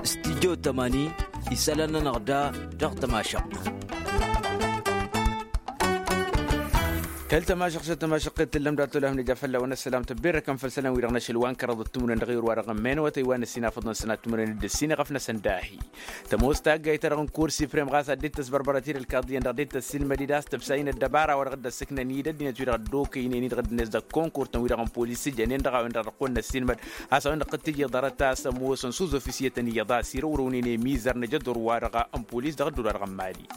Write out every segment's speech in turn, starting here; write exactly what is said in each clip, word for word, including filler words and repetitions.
Studyo tămani, isălan-nănăɣ da dăɣ-tămašăɣt. Kăl-tămašăɣt s-tămašăɣt t-tǝllăm d-ad-tolăhăm n-ija fălla-wen ăssălam tăbberrăkăm făll-isălan-wi-dăɣ n-ašăl wa n-kăraḍăt timǝrwen dăɣ-iwǝr wa dăɣ-ămmen wătăy wa n-ăssinafăḍ-năsăn ad-timǝrwen d-ăssinăɣăf-năsăn dahi. Tămoos taggayt-ta-dăɣ n-kur siprem ɣas ad-dd-tăs bărbărăt-dd ălkaḍ iyyăn dăɣ-dd-tăssilmăd-dd a-s tăbsay n-ăddăbara wa dăɣ-dd-ăssǝknăn-dd ăddinăt-wi-dăɣ ăddokăynen-i dăɣ-ăddinăt dăɣ-konkurt-tăn wi-dăɣ n-polis s-ǝjănen dăɣ-a-wen-dăɣ dăɣ-kăwăn-năssilmăd. Has-a-wen-dăɣ tǝjjăḍ arăt a-s ămoosăn s-uz-ofisiyătăn iyyăḍ a-s irăwrăwnen i-imizăr n-ajădur-wa-dăɣ n-polis dăɣ-ăddul-wa-dăɣ n-mali.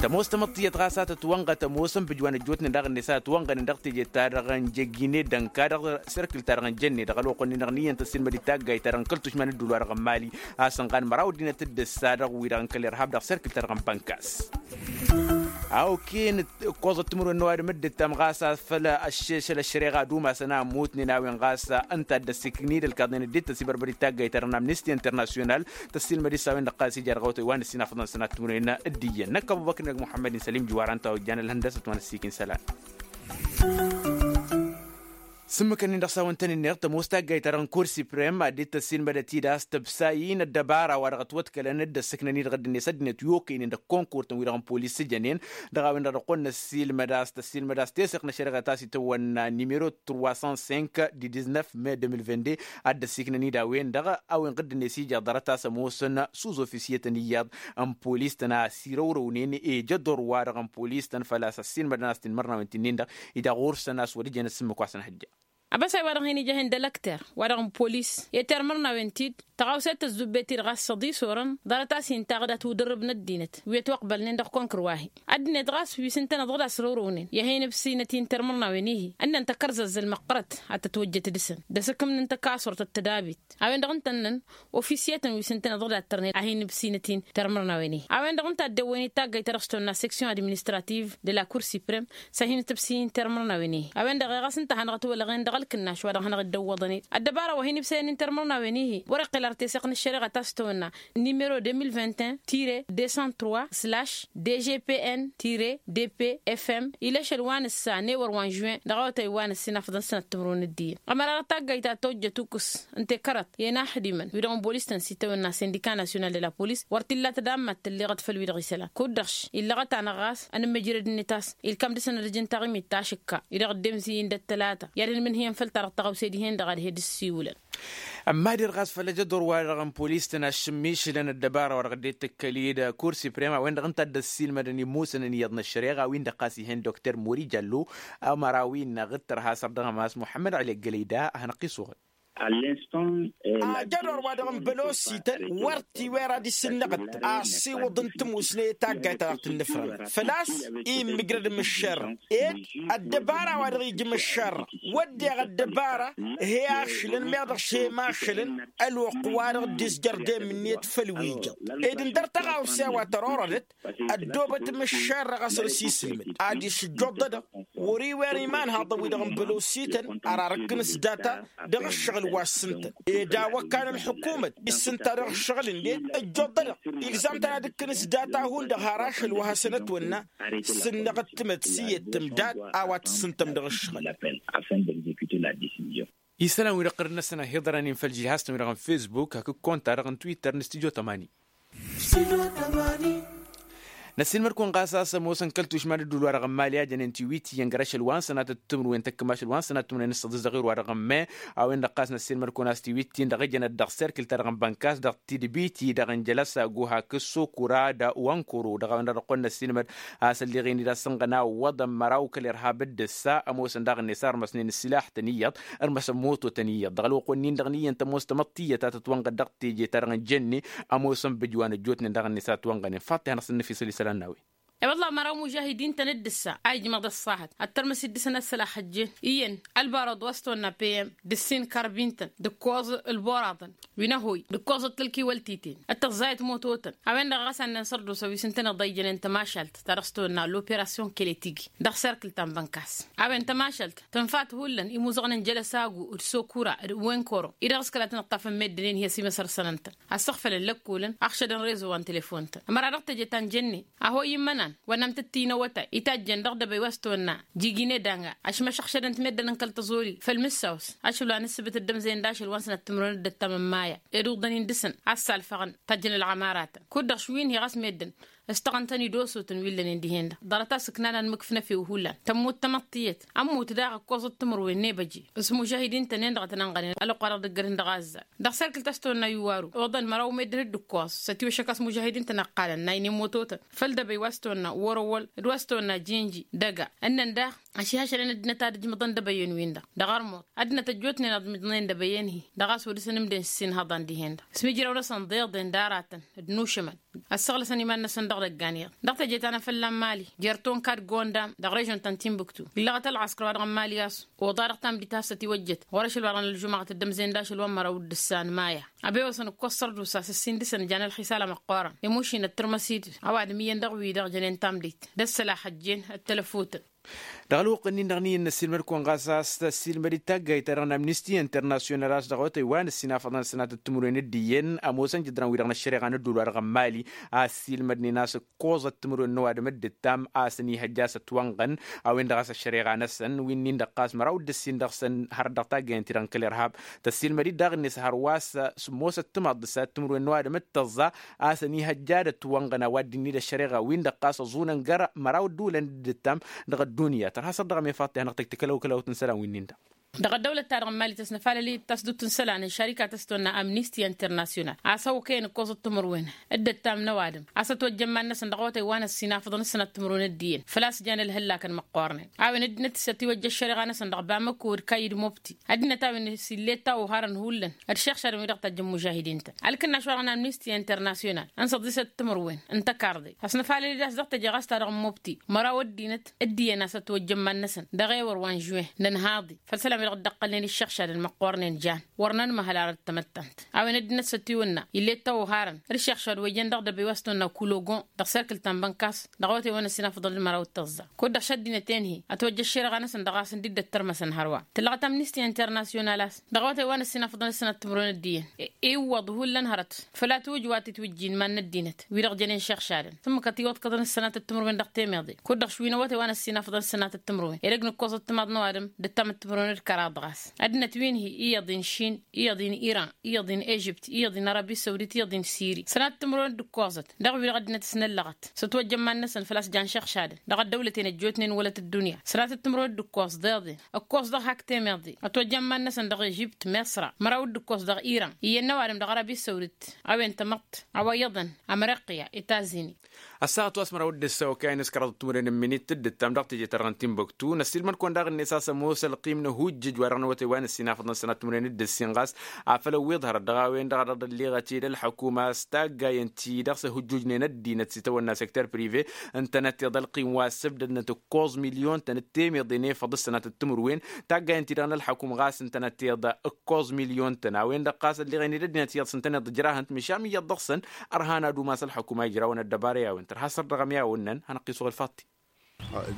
Tămoos tamăḍt tiyyăt ɣas a tătwănɣăt ămoosăn bǝjwa n-ăjjootnen daɣ-net a ătwănɣănen dăɣ-teje-ta-dăɣ n-jăgine dănka dăɣ-serkǝl-ta-dăɣ n-jănne dăɣ-ălwăqq-nin-dăɣ n-iyyăn tăssilmăd-dd taggayt-ta-dăɣ n-kăl-tušma n-ăddul-wa-dăɣ n-mali. A-s ănɣan măraw ăddinăt dd-ǝssa dăɣ-wi-dăɣ n-kăl-irhab dăɣ-serkǝl-ta-dăɣ n-bănkas. A oken ǝkkoẓăt timǝrwen n-ăwadǝm dd-ǝttam ɣas a făl ăššešăl ăššăreɣa d-umasăn a ămmutnen a-wen ɣas ǝnta a dd-ăssikǝknid ălkaḍnen dd-tăsibărbăd d-taggayt-ta-dăɣ n-amnisti internasyonal. Tăssilmăd-i s-a-wen-dăɣ ɣas ija dăɣ-awătăy wa n-ăssinafăḍăn sănat timǝrwen d-iyyăn năkk ăbubăkr n-muḥămmăd n-sălim jiwar ănta ojjan ălhăndăsăt wa n-ăssiik n-isălan. S-ǝmmǝk-ǝnnin-dăɣ s-a-wăn tăn-ǝnneɣ tămoos taggayt-ta-dăɣ n-kur siprem ad-dd-tăssilmădăt-dd a-s tăbsa-i n-ăddăbara wa dăɣ-ătwăḍkălăn dd-ăssǝknăn-i dăɣ-ăddinăt ăddinăt i-okăynen dăɣ-konkurt-tăn wi-dăɣ n-polis s-ǝjănen. Dăɣ-a-wen-dăɣ dăɣ-kăwăn-năssilmăd a-s tăssilmăd a-s teseɣt n-ăššăreɣa ta s-itawănna nimero trois cent cinq du dix-neuf mai deux mille vingt-deux. Ad-dd-ăssiknăn-dd a-wen-dăɣ ăddinăt ijăḍ arăt a-s ămoosăn s-uz-ofisiyătăn iyyăḍ n-polis-tăn a-s irăwrăwnen i-jădor-wa-dăɣ n-polis-tăn făl-a-s ăssiilmădăn a-s tinmărnawen ti-nin-dăɣ. Ija ɣur-săn a-s wăr ijăn ăssimmǝk wa s-ănhăjja. Abăsay wa-dăɣ hin-ija hin-dălăkter wa-dăɣ n-polis i-termărnawen-ti-dd tăɣawse tăzzubbe-t-dd ɣas săḍi s-orăn ḍarăt a-s intăɣ dat-udǝrrǝb n-ăddinăt wi ătwăqbălnen dăɣ-konkăr wa-hi. Ăddinăt ɣas wi s-ǝntăneḍ dăɣ-dd-asrăwrăwnen i-ad-hin-ǝbsǝynăt i-n-termărnawen-ihi ǝnnăn takărzăzzăl măqqărăt ad-tătwăjjăt dăɣ-săn d-asǝkǝmnǝn tăkasurt d-tădabit. A-wen-dăɣ ǝntănnăn ofisiyătăn wi s-ǝntăneḍ dăɣ-dd-ad-tărnen ad-hin-ǝbsǝynăt i-n-termărnawen-ihi. A-wen-dăɣ ǝnta a dd-ăwwăyăn i-taggayt ta dăɣ-s tăwănna section administrativ de la kur siprem s-ad-hin-tǝbsǝy n-termărnawen-ihi. A-wen-dăɣ ɣas ǝnta a hanăɣ-ătwălăɣen dăɣ-ălkǝnnaš wa dăɣ-hanăɣ-dd-ăwwăḍăn-dd ăddăbara wa hin-ǝbsăyăn i-n-termărnawen-ihi wăr-iqqel ar teseɣt n-ăššăreɣa ta s-tăwănna numero deux mille vingt et un tire deux cent trois slash dgpn tire dpfm. Ila ašăl wa n-ǝssa n-ewăr wa n-žuwen dăɣ-awătay wa n-ǝssin afḍăn sănăt timǝrwen d-iyyăn ămăra dăɣ-taggayt ta tojjăt ukǝs n-tekărăt i-inaxdimăn wi-dăɣ n-bolis-tăn s-itawănna sindika nasyonal de la polis wăr t-illa tădammăt tălleɣăt făll-wi-dăɣ isălan kud-dăɣ-š illăɣăt-anăɣ ɣas ănǝmmăjrăd-net a-s ilkam dăɣ-săn ad-ǝjǝn taɣimit ta ašǝkka-i dăɣ-ăddemzi-in d-ăttălata i-ad-ănmǝnhǝyăn făll-ta-dăɣ tăɣawse dihen-dăɣ ad-he-dd-ǝssiwǝlăn. Ămmader ɣas făll-ajăḍur-wa-dăɣ n-polis-tăn a-s šǝmmišǝlăn ăddăbara wa dăɣ-dd-tǝkkăl-dd kur siprem a-wen-dăɣ ǝnta a dd-ăssiilmădăn imusăn n-iyyăḍ n-ăššăreɣa wi-dăɣ ɣas ih'-en dokter mori jallo. Ămăra-wi-dăɣ d-tărha săr dăɣ-ămas muḥămmăd ăli ăggălăy da ad-hanăɣ-t-isuɣǝl. Ajădor wa dăɣ-n bălosităn wăr t-iwer ad-isǝnnăɣăt asiwǝḍ n-timusne i-taggayt ta dăɣ-tǝnnǝfrăn făl-a-s immǝjrăd mǝššer ed ăddăbara wa dăɣ-ija mǝššer. Wădden ăddăbara he-ašălăn meɣ dăɣ-šem ašălăn ălwăqq wa dăɣ-dd-izjăr demǝnniyăt făll-wi ijăḍ ed ǝndăr tăɣawse a-wa tărorădăt ăddoobăt mǝššer dăɣ-asăn s-isǝlmǝd ad-išǝjjoḍ-dăɣ. Wăr-iwer imanhaḍăn-wi-dăɣ n-bălosităn ar arǝkkǝn s-data dăɣ-ǝššăɣǝl wa s-ǝntăn ed a-wăkkan ălḥukumăt issǝnta dăɣ-ǝššăɣǝl-net ǝjjoḍ-dăɣ. Igzam-tăn ad-ǝkkǝn s-data hundăɣ har ašăl wa hasăn-ătwănna s-ǝnnăɣ d-timăt s-iyyăt tǝmdad a-wa t-ǝssǝntăm dăɣ-ǝššăɣǝl. Isălan-wi-dăɣ ɣǝrǝd-năsăn ăhiḍărăn-in făll-žilhastăn-wi-dăɣ n-fesbuk hakd konta-dăɣ n-twitter n-studyo tămani. Năssiilmăd-kăwăn ɣas a-s ămoosăn kăl-tušma n-ădduul-wa-dăɣ n-mali a jănen tiwit iyyăn găr ašăl wa n-sănatăt timǝrwen tăkk mašăl wa n-sănatăt timǝrwen s-săḍis dăɣ-iru-wa-dăɣ n-me. A-wen-dăɣ ɣas năssiilmăd-kăwăn a-s tiwit-in-dăɣ ǝjănăt dăɣ-serkǝl-ta-dăɣ n-bănkas dăɣ-tidbit-i-dăɣ n-jălăsagu hakd sokura d-wankoro dăɣ-a-wen-dăɣ dăɣ-kăwăn năssiilmăd a-s ălleɣ-in-dd a-s ǝnɣăna wăḍăn măraw kăl-irhab dd-ǝssa ămoosăn daɣ-net a ărmăsnen ǝssilaḥ-tăn iyyăḍ ărmăsăn moto-tăn iyyăḍ dăɣ-ălwăqq-wen-in-dăɣ n-iyyăn tămoos tamăḍt tiyyăt a tătwănɣăd dăɣ-teje-ta-dăɣ n-jănne. Ămoosăn bǝjwa n-ăjjootnen daɣ-net a ătwănɣănen faḍt-i hanăɣ-săn-nǝfisăl isălan n-a-wen. I-wălla măraw mužahidin-tăn dd-ǝssa a ijmăḍ ăṣṣahăt ăttărmăs-dd dăɣ-săn ăssălax ăjjeen iyyăn ălbarăḍ wa s-tăwănna peyăm d-ǝssin karbin-tăn d-ǝkkoẓ ălboraḍăn wi n-ăhoy d-ǝkkoẓăt kăl-kiwăltiten d-tăẓẓayăt moto-tăn. A-wen-dăɣ ɣas a ǝnnăn sărdusa wi s-ǝntăneḍ a ijănen tămašalt ta dăɣ-s tăwănna loperasyon keletigi dăɣ-serkǝl ta n-bănkas. A-wen tămašalt tǝnfat hullan imuzăɣăn n-jălăsagu d-sokura d-wenkoro-i dăɣ-s kăla tăn-ǝṭṭafăn meddǝn-en hi-ăsimăsărsănăn-tăn ăssăɣfălăn lăkkolăn ăɣšădăn rezo wa n-telefon-tăn ămăra dăɣ-teje ta n-jănnen. A hoy immăna Wa n-amtăttinăwătay itajjen dăɣ-dăbăy wa s-tăwănna jigine danga ašmăšăɣšădăn-t meddǝn n-kăl-tăẓoli făll-mǝssaws ašăl wa n-ǝssǝbǝt d-ămzăyăn d-ašăl wa n-sănat timǝrwen d-ăttam n-maya ed uḍăn-in dăɣ-săn a s-salfăɣăn tajjăn ălɣămaratăn kud-dăɣ šwin-hi ɣas meddǝn ǝstăɣăn-tăn-dd osotăn wi ǝllănen dihen-dăɣ ḍarăt-as ǝknan anmǝkf n-efew hullan tămmut tamăḍt tiyyăt ămmut daɣ ǝkkoẓăt timǝrwen n-ebăje s-mužahidin-tăn-en-dăɣ a tăn-ănɣănen ălwăqqa-dăɣ dăgg-ărhǝn dăɣ-azzar dăɣ-serkǝlt a-s tăwănna iwwaru oḍăn măraw meddǝn d-ǝkkoẓ s-ătiwăššăk a-s mužahidin-tăn ăqqalăn n-aynen mototăn făll-dăbăy wa s-tăwănna wăr-ăwwăl d-wa s-tăwănna jinji dăga ǝnnăn daɣ ašihăšălăn ăddinăt ad-ǝjmǝḍăn dăbăyen-win-dăɣ dăɣ-ărmuḍ ăddinăt ăjjootnen ad-ǝjmǝḍnen dăbăyen-hi dăɣ-a-s wăr dăr-săn ǝmden s-inhăḍan dihen-dăɣ s-imǝjraw-năsăn d-iḍen d-aratăn d-inušǝmăn ăssăɣlăsăn iman-năsăn dăɣ-idăggan iyyăḍ dăɣ-teje ta n-afălla n-mali jer-tonka d-gondam dăɣ-režon ta n-tinbuktu illăɣăt ălɣăskăr wa dăɣ-n mali a-s oḍa dăɣ-tamdit a-s ătiwăjjăt ɣur-ašăl wa dăɣ-nălžumăɣăt d-ămzăyăn d-ašăl wa n-măraw d-ǝssan maya ăbewăsăn ǝkkoẓ sărdusa s-ǝssin dăɣ-săn jan ălxisal amăqqoorăn imušin ăttărmăsid ăwadǝm iyyăn dăɣ-wi-dăɣ jănen tamdit d-ăssălax ăjjeen ăttălăfutăn. Dăɣ-ălwăqq-ǝnnin-dăɣ n-iyyăn n-ăssiilmăd-kăwăn ɣas a-s tăssiilmăd-dd taggayt-ta-dăɣ n-amnisti internasyonal a-s dăɣ-awătay wa n-ăssinafăḍăn ăssănat d-timǝrwen d-iyyăn ămoosăn jǝdran-wi-dăɣ n-ăššăreɣa n-ădduul wa dăɣ-n mali a ăssiilmădnen a-s ǝkkoẓăt timǝrwen n-ăwadǝm dd-ǝttam a-s ănihăjja a-s ătwănɣăn a-wen-dăɣ a-s ăššăreɣa-năsăn wi-nin-dăɣ ɣas măraw d-ǝssin dăɣ-săn hărăt dăɣ-taggayăn-ti-dăɣ n-kăl-irhab. Tăssiilmăd-dd daɣ-net hărwa a-s sǝmmosăt timaḍt d-ăssănat timǝrwen n-ăwadǝm d-tăẓẓa a-s ănihăjja ad-ătwănɣăn a-wa dd-inni d-ăššăreɣa-win-dăɣ ɣas ăẓunăn găra măraw ădduulăn dd-ǝttam dăɣ-ăddunya tărha săr dăɣ-ămefaḍt i-ad-hanăɣ-tăjj takălăwkălawt n-isălan wi-nin-dăɣ. Dăɣ-ăddăwlăt-ta-dăɣ n-mali tăsnăfalăl-i d-tasdut n-isălan n-šarika ta s-tăwănna amnisti internasyonal a-s ăwkăyăn ǝkkoẓăt timǝrwen dd-ǝttam n-ăwadǝm a-s ătwăjja iman-năsăn dăɣ-awătay wa n-ăssinafăḍăn ăssănat timǝrwen d-iyyăn făl-a-s jan ălhăllakăn măqqoornen a-wen ăddinăt s-ătiwăjja ăššăreɣa-năsăn dăɣ-bamăko d-kayy d-mobti ăddinăt a-wen s-ille ăttawăharăn hullan d-išăɣšadăn wi-dăɣ tajjăn mužahidin-tăn ălkǝnnaš wa dăɣ-n amnisti internasyonal n-săḍisăt timǝrwen n-tăkarḍe ăsnăfalăl-i d-a-s dăɣ-teje ɣas ta dăɣ-n mobti măraw ăddinăt d-iyyăn a-s ătwăjja iman-năsăn dăɣ-ewăr wa n-žuwen n-ănhaḍe făll-isălan wi-dăɣ dd-ăqqălnen išăɣšadăn măqqoornen jan wăr nănmăhăl arăt tamăttant a-wen ăddinăt s-ătiwǝnna ill'-e ăttăwăharăn d-išăɣšad wa ijăn dăɣ-dăbăy wa s-tăwănna kulogon dăɣ-serkǝl ta n-bănkas dăɣ-awătay wa n-ăssinafăḍăn d-măraw d-tăẓẓa kud-dăɣ šăddinăt-en-hi ătwăjja ăššăreɣa-năsăn dăɣ-a-s ǝndid-dd-ăttărmăsăn hărwa tǝllăɣăt amnisti internasyonal a-s dăɣ-awătay wa n-ăssinafăḍăn d-ăssănat timǝrwen d-iyyăn iwwăḍ hullan hărăt făl a tiwǝjj wa titwǝjjin iman n-ăddinăt wi-dăɣ jănen šăɣšadăn s-ǝmmǝk ătiwăḍkăḍăn ăssănatăt timǝrwen dăɣ-temeḍe kud-dăɣ šwin awătay wa n-ăssinafăḍăn ăssănatăt timǝrwen edăgg n-ǝkkoẓăt timaḍ n-ăwadǝm d-ǝttamăt timǝrwen d-kăraḍ ɣas ăddinăt wi n-hi iyyăḍ n-išin iyyăḍ n-iran iyyăḍ n-ežipt iyyăḍ n-arabi săwdit iyyăḍ n-siri sănatăt timǝrwen d-ǝkkoẓăt dăɣ-wi-dăɣ ăddinăt s-năllăɣăt s-ătwăjja iman-năsăn făl-a-s jan šăɣšadăn dăɣ-ăddăwlăten ăjjootnen wălăt ăddunya sănatăt timǝrwen d-ǝkkoẓ d-eḍen ǝkkoẓ dăɣ-hak temeḍe ătwăjja iman-năsăn dăɣ-ežipt mesra măraw d-ǝkkoẓ dăɣ-iran iyyăn n-ăwadǝm dăɣ-arabi săwdit a-wen tamăḍt a-wa iyyăḍăn ămrăqya etazini. Ăssaɣăt wa s-măraw d-ǝssa okăyăn s-kăraḍăt timǝrwen n-minit d-ǝttam dăɣ-teje-ta-dăɣ n-tinbuktu năssiilmăd-kăwăn daɣ-net a-s ămoos ălqim n-ahujjǝj wa dăɣ-năwătay wa n-ăssinafăḍăn sănat timǝrwen d-ǝssin ɣas afăl ăwwiḍ hărăt dăɣ-a-wen-dăɣ a dăɣ-dd-ălleɣăt i-dd-ălḥăkuma s-taggayăn-ti-dăɣ s-ăhujjujnen ăddinăt s-itawănna secter prive ǝntănăt iḍa ălqim wa ăssăbdădnăt ǝkkoẓ milyon-tăn d-temeḍe n-efăḍ s-sănatăt timǝrwen taggayăn-ti-dăɣ n-ălḥăkum ɣas ǝntănăt iḍa ǝkkoẓ milyon-tăn a-wen-dăɣ ɣas ălleɣen-dd ăddinăt iyyăḍ s-ǝntăneḍ ǝjrahăn-t măšan iyyăḍ dăɣ-săn ărhan ad-umas ălḥăkum a ijrawăn ăddăbara i-a-wen tărha săr dăɣ-ămyawăn-năn hanăɣ-t-isuɣǝl faḍti.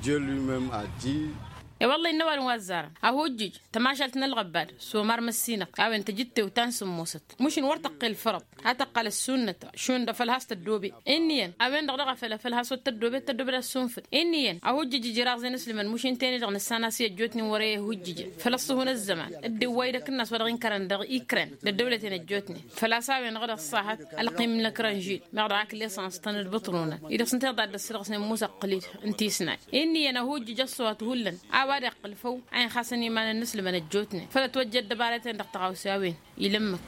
Dieu lui-même a dit. E-wălla-i n-ăwadǝm wa ăzzarăn ăhujjǝj tămašalt n-ălɣăbbad s-omar măssinăɣ a-wen tăjǝttewt ta n-sǝmmosăt măšin wăr tăqqel fărăḍ a tăqqăl ăssunnăt šund afăl has-tăddobe inn'-iyyăn a-wen-dăɣ daɣ afăl afăl has-wăr tăddobe tăddobe d-assunfǝd inn'-iyyăn ăhujjǝj ijraẓen ǝslǝmăn măšin tene-dăɣ nǝssan a-s i-ăjjootnen wăr-e ăhujjǝjăn făl ăṣṣuhun ăzzăman dd-iwway d-akǝnnas wa dăɣ-inkărăn dăɣ-ikren d-ăddăwlăten ăjjootnen făl-a-s a-wen-dăɣ d-ăṣṣahăt ălqim n-ekran žil meɣ dăɣ-ak l-esăns-tăn d-bǝṭrunăn-i-dăɣ s-ǝnta iḍa dd-ăssădăɣ s-inǝmmus ăqqǝl-i n-tisnay inn'-iyyăn ăhujjǝj ăṣṣuhat hullan a-wa d-iqqǝl făw a inxasăn iman-năsnăsăn ăjjootnen făl ătwăjja ăddăbarăten dăɣ-tăɣawse a-wen. Ilǝmmǝk.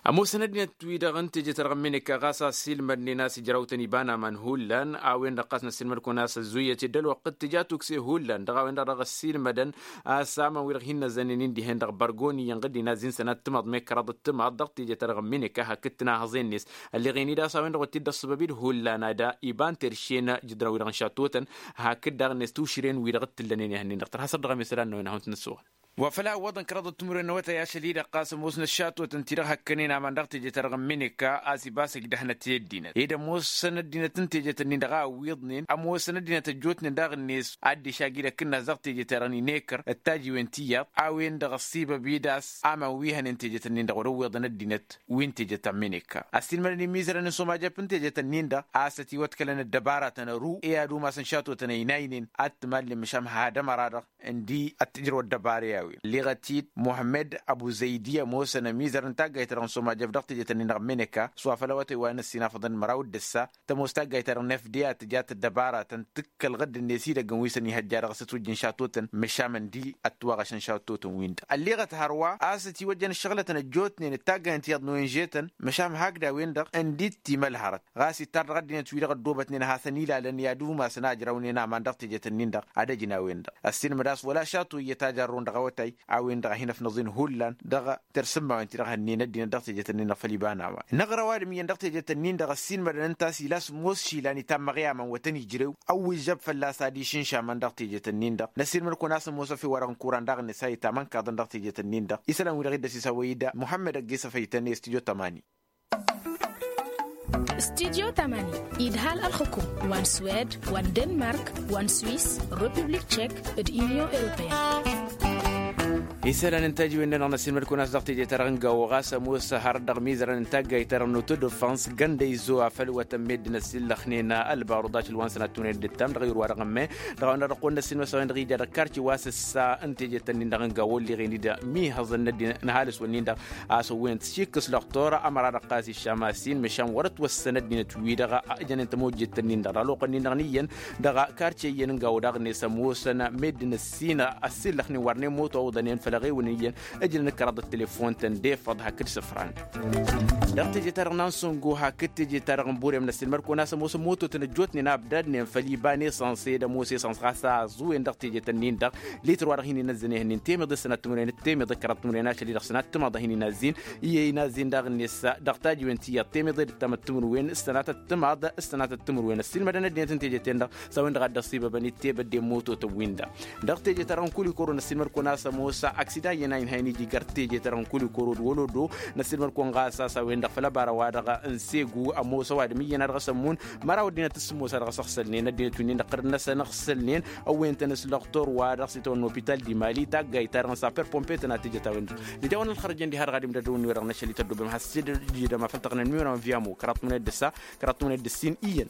Ămoosăn ăddinăt-wi-dăɣ n-teje-ta-dăɣ n-mineka ɣas a ăssiilmădnen a-s ijrawtăn iba n-aman hullan a-wen-dăɣ ɣas năssiilmăd-kăwăn a-s ăzzuyyăt i-dd-ălwăqq d-tǝja tukse hullan dăɣ-a-wen-dăɣ dăɣ-ăssiilmădăn a-s aman-wi-dăɣ hin-năzzănnen-in dihen-dăɣ bărgon iyyăn ɣǝddin a ăzzin sănat timaḍ mekkăraḍ d-timaḍ dăɣ-teje-ta-dăɣ n-mineka hakd-tăn a hăẓen-net ălleɣen-dd a-s a-wen-dăɣ wăr t-dd-ăṣṣăbăb-dd hullan ad-iba n-terše n-jǝdran-wi-dăɣ n-šattotăn hakd daɣ-net tušren-wi-dăɣ t-ǝllănen i-hănnen-dăɣ tărha săr dăɣ-emesălan n-a-wen ad-hawăn-t-nǝssuɣăl. Wa făl a ǝwwăḍăn kăraḍăt timǝrwen n-awătay ašăl-i-dăɣ ɣas ămoos n-ăššatotăn-ti-dăɣ hăkkănen aman dăɣ-teje-ta-dăɣ n-mineka a-s ibas ǝjdăhnăt i-ăddinăt ed ămoosăn ăddinăt n-teje-tăn-in-dăɣ a ǝwwiḍnen ămoosăn ăddinăt ăjjootnen daɣ-net. Ad-dd-išag-i d-akǝnnas dăɣ-teje-ta-dăɣ n-ineker d-tajiwen tiyyăḍ a-wen-dăɣ ăssibăb-i d-a-s aman wi hănen teje-tăn-in-dăɣ wăr-ǝwwiḍăn ăddinăt wi n-teje ta n-mineka ăssiilmădăn imizărăn n-sumajăp n-teje-tăn-in-dăɣ a-s ătiwăḍkălăn ăddăbaratăn ăru i-ad-umasăn šatotăn ăynaynen ad-t-mallen măšan had-ămăra-dăɣ ǝndi ad-t-ǝjrăw ăddăbara i-a-wen ălleɣăt-dd muhămmăd ăbuzăydi ămoosăn ămizăr n-taggayt-ta-dăɣ n-sumajăf dăɣ-teje-tăn-in-dăɣ n-mineka s-wa făl awătay wa n-ăssinafăḍăn măraw d-ǝssa tămoos taggayt-ta-dăɣ n-fda tǝja tăddăbaratăn tǝkk ălɣǝdd-net idăggăn wi s-ănihăjja dăɣ-s ătwǝjjǝn šatotăn măšan ǝndi ăttwaɣăšăn šatotăn-win-dăɣ ălleɣăt hărwa a-s ătiwăjjăn ǝššăɣlătăn ăjjootnen d-taggayăn tiyyăḍ n-o n-žetăn măšan hakd a-wen-dăɣ ǝndi t-imălhărăt ɣas ittar dăɣ-ăddinăt-wi-dăɣ ăddoobătnen ad-hasăn-ilalăn i-ad-umasăn a ǝjrăwnen aman dăɣ-teje-tăn-in-dăɣ ad-ăjǝn a-wen-dăɣ ăssiilmăd a-s wăla šato iyyăt a jarrun dăɣ-awătay a-wen-dăɣ a hin-ăfnăẓen hullan dăɣ-tersǝmmawen-ti-dăɣ hănnen ăddinăt dăɣ-teje-tăn-in-dăɣ făll-iba n-a-wa. N-aɣrăw adǝm iyyăn dăɣ-teje-tăn-in-dăɣ ăssiilmădăn ǝnta a-s ila s-ămoos išilan itammăɣ i-aman wătăn ijrew ăwwǝžžăb fălla-s ad-išǝnš aman dăɣ-teje-tăn-in-dăɣ năssiilmăd-kăwăn a-s ămoos ăfewăr ănkura n-daɣ-net a itamănkăḍăn dăɣ-teje-tăn-in-dăɣ isălan-wi-dăɣ iddăs isawăy-dd muhămmăd ăgg-e-s ăfăytăn i-studyo tămani. Studyo tămani idhal ălxǝkum wa n-swed wa n-denmark wa n-swiss, republik tšek, d-inyon europeyăn. Isălan n-tajiwen-dăɣ năssilmăd-kăwăn a-s dăɣ-teje-ta-dăɣ n-gawo ɣas ămoos hărăt dăɣ-imizărăn n-taggayt-ta-dăɣ n-otodofans găndăyzo afăl wătăn meddǝn ăssillăxnen ălbarăḍ ašăl wa n-sănat tǝmǝrwen d-ǝttam dăɣ-iru wa dăɣ-ămme dăɣ-a-wen-dăɣ dăɣ-kăwăn-năssin măsăwen dăɣ-ija dăɣ-karce wa s-ǝssa n-teje-tăn-in-dăɣ n-gawo ălleɣen-dd mihăẓăn n-ăddinăt n-ăhalǝs-wǝnnin-dăɣ a-s ăwwăyăn tǝšikkǝs lăxtor ămăra-dăɣ ɣas iššam a-s-in măšan wăr-ătwăssăn ăddinăt-wi-dăɣ ǝjănen tămojjet-tăn-in-dăɣ dăɣ-ălwăqq-nin-dăɣ n-iyyăn dăɣ-karce iyyăn n-gawo daɣ-net ămoosăn meddǝn ăssin ăssillăxnen wărnen moto a oḍănen făll-eɣewăn iyyăn ǝjrăn d-kăraḍ d-telefon-tăn d-efăḍ hakd sǝfran. Dăɣ-teje-ta-dăɣ n-ansăngo hakd teje-ta-dăɣ n-burem năssilmăd-kăwăn a-s ămoosăn mototăn ăjjootnen a ăbdadnen făll-iba n-esăns ed ămoos esăns ɣas a ăẓuwen dăɣ-teje-tăn-in-dăɣ lităr wa dăɣ-hin-inăzzăn ehănnen temeḍe s-sănat timǝrwen d-temeḍe kăraḍ timǝrwen ašăl-i-dăɣ sănat timaḍ a hin-inazzin iyyăn inazzin daɣ-net dăɣ-tajiwen tiyyăḍ temeḍe d-ǝttamăt timǝrwen s-sănatăt timaḍ s-sănatăt timǝrwen ăssiilmădăn ăddinăt n-teje-ten-dăɣ s-a-wen-dăɣ a dd-ăṣṣibăbăn i-tebădden mototăn-win-dăɣ. Dăɣ-teje-ta-dăɣ n-kulikoro năssiilmăd-kăwăn a-s ămoos aksidan iyyăn a inhăyăn iji găr teje-ta-dăɣ n-kulikoro d-wălodo năssiilmăd-kăwăn ɣas a-s a-wen-dăɣ făll-ăbara wa dăɣ-n segu ămoos ăwadǝm iyyăn a dăɣ-s ămmun măraw ăddinăt s-sǝmmos a dăɣ-s ăɣsălnen ăddinăt wi-nin-dăɣ tărăn-năsăn ăɣsălnen ăwwăyăn-tăn s-lăxtor wa dăɣ-s itawănna opital dimali taggayt-ta-dăɣ n-sapper pompe tănatejăt a-wen-dăɣ. D-ija-wăn ălxărăjăn diha-dăɣ ad-imdădăwăn wi-dăɣ n-ašăl ităddobem has-dd-ija dăɣ-mafăl tăɣnăn mi-wănăwăn via mo kăraḍ tmăned d-ǝssa kăraḍ tmăned d-ǝssin iyyăn.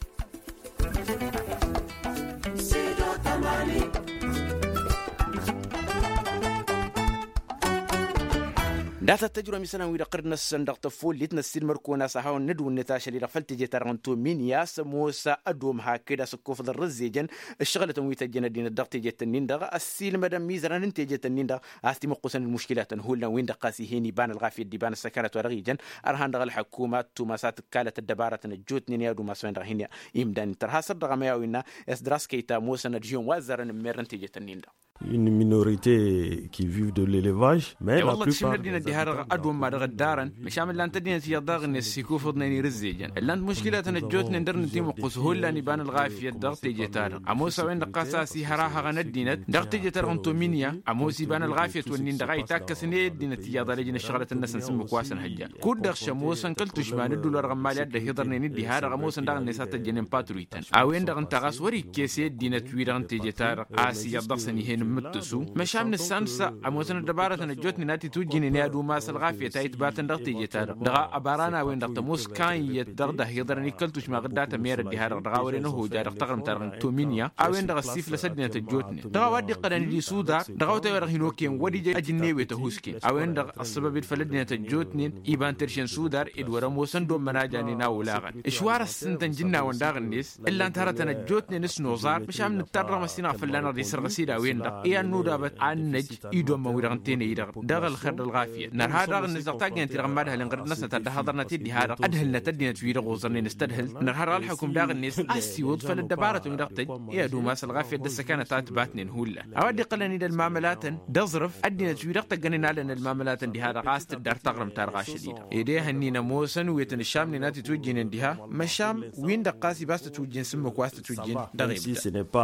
Data tăjrăm isălan-wi-dăɣ tărăn-năsăn dăɣ-tăffollit năssiilmăr-kăwăn a-s ad-hawăn-nǝdwǝnnet ašăl-i-dăɣ făll-teje-ta-dăɣ n-tomin i-a-s ămoos ădom hakd a-s ǝkkofăḍ ărrǝzzejăn ǝššăɣǝlătăn wi tăjjăn ăddinăt dăɣ-teje-tăn-in-dăɣ ăssiilmădăn mizărăn n-teje-tăn-in-dăɣ a-s timǝqqusăn d-muškilatăn hullan-win-dăɣ ɣas ih'-en iba n-ălɣafyăt d-iba n-ăssăkanăt wa dăɣ-ijăn ărhan dăɣ-ălḥăkuma ăttumas a tǝkkalăt ăddăbarătăn ăjjootnen i-ad-umas a-wen-dăɣ hin-imdan inter hasăr dăɣ-amăyaw innă s-dăr-a-s kăy-ta ămoosăn ădžihǝn wa ăzzarăn ǝmmerrăn teje-tăn-in-dăɣ. Une minorite qui vivent de l'élevage mais i-wălla tǝšimnă ăddinăt diha-dăɣ ad-wămma dăɣ-ăddarăn măšan ǝllan-t ăddinăt iyyăḍ daɣ-net s-ikufǝḍnen irǝzzejăn ǝllan-t muškilatăn ăjjootnen dăr-nǝtimǝqqus hullan iba n-ălɣafyăt dăɣ-teje-ta-dăɣ ămoos a-wen-dăɣ ɣas a-s ihărahăɣăn ăddinăt dăɣ-teje-ta-dăɣ n-tominya ămoos iba n-ălɣafyăt-wǝnnin-dăɣ a itakkăsăn i-ăddinăt iyyăḍ a lăjăn ǝššăɣlătăn-năsăn s-ǝmmǝk wa s-ănhăjja kud-dăɣ šămoosăn kăl-tušma n-ǝddul wa dăɣ-ămmali a dd-ăhiḍărnen d-diha-dăɣ ămoosăn daɣ-net a tăjjănen patruytăn a-wen-dăɣ ǝnta ɣas wăr-ikkes i-ăddinăt-wi-dăɣ n-teje-ta-dăɣ a-s iyyăḍ dăɣ-săn ih'-en n-imǝttǝsu măšan nǝssan s-a ămoosăn ăddăbarătăn ăjjootnen a t-itwǝjjǝynen i-ad-umas ălɣafyăt a itbatăn dăɣ-teje-ta-dăɣ dăɣ-abaran a-wen-dăɣ tămoos kan iyyăt dăɣ-dd-ăhiḍărăn i-kăl-tušma ɣǝdda tămerăt diha-dăɣ dăɣ-a wăren ăhojja dăɣ-taɣrǝmt-ta-dăɣ n-tominya a-wen-dăɣ ăssiflăs ăddinăt ăjjootnen dăɣ-a-wa dd-iqqălăn d-isudar dăɣ-awătay wa dăɣ-hin-okăyăn wăr-ija ajǝnnew i-tăhusken a-wen-dăɣ ăssăbăb-dd făll-ăddinăt ăjjootnen iba n-terše n-sudar ed wăr-ămoosăn d-ommăn a janen a olaɣăn ǝšwar ăssintăn jǝnnawăn daɣ-net ǝllan-t hărătăn ăjjootnen s-noẓar măšan nǝttar dăɣ-măssinăɣ fălla-năɣ d-isărɣǝs-dd a-wen-dăɣ i-ad-nudabăt ad-năj i-dd-ommăn-wi-dăɣ ǝnta-en ăydăɣ dăɣ-ălxer d-ălɣafyăt nărha daɣ-net dăɣ-taggăyăn-ti-dăɣ n-imad-ăhăl inɣăr-dd-năsnăt ad-dd-ăhhăḍărnăt-dd diha-dăɣ ădhǝlnăt ăddinăt-wi-dăɣ oẓărnen s-tadhǝlt nărha dăɣ-ălḥăkum daɣ-net a ăssiwǝḍ făll-ăddăbarătăn-wi-dăɣ tăjj i-ad-umas ălɣafyăt d-ăssăkanăt a ǝtbatnen hullan a-wa dd-iqqălăn-dd ălmamălatăn d-aẓrǝf ăddinăt-wi-dăɣ tăggănen alăn ălmamălatăn diha-dăɣ a-s tǝddar taɣrǝmt-ta-dăɣ ašăl-i-dăɣ ed ehăn-in ămoosăn wi tăn-ǝššamnen a t-itwǝjjǝynen diha măšan win-dăɣ ɣas iba a-s tǝtwǝjjǝyăn s-ǝmmǝk wa s-tǝtwǝjjǝyăn dăɣ-e-bdăr.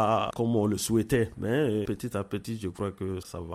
Petit à petit je crois que ça va.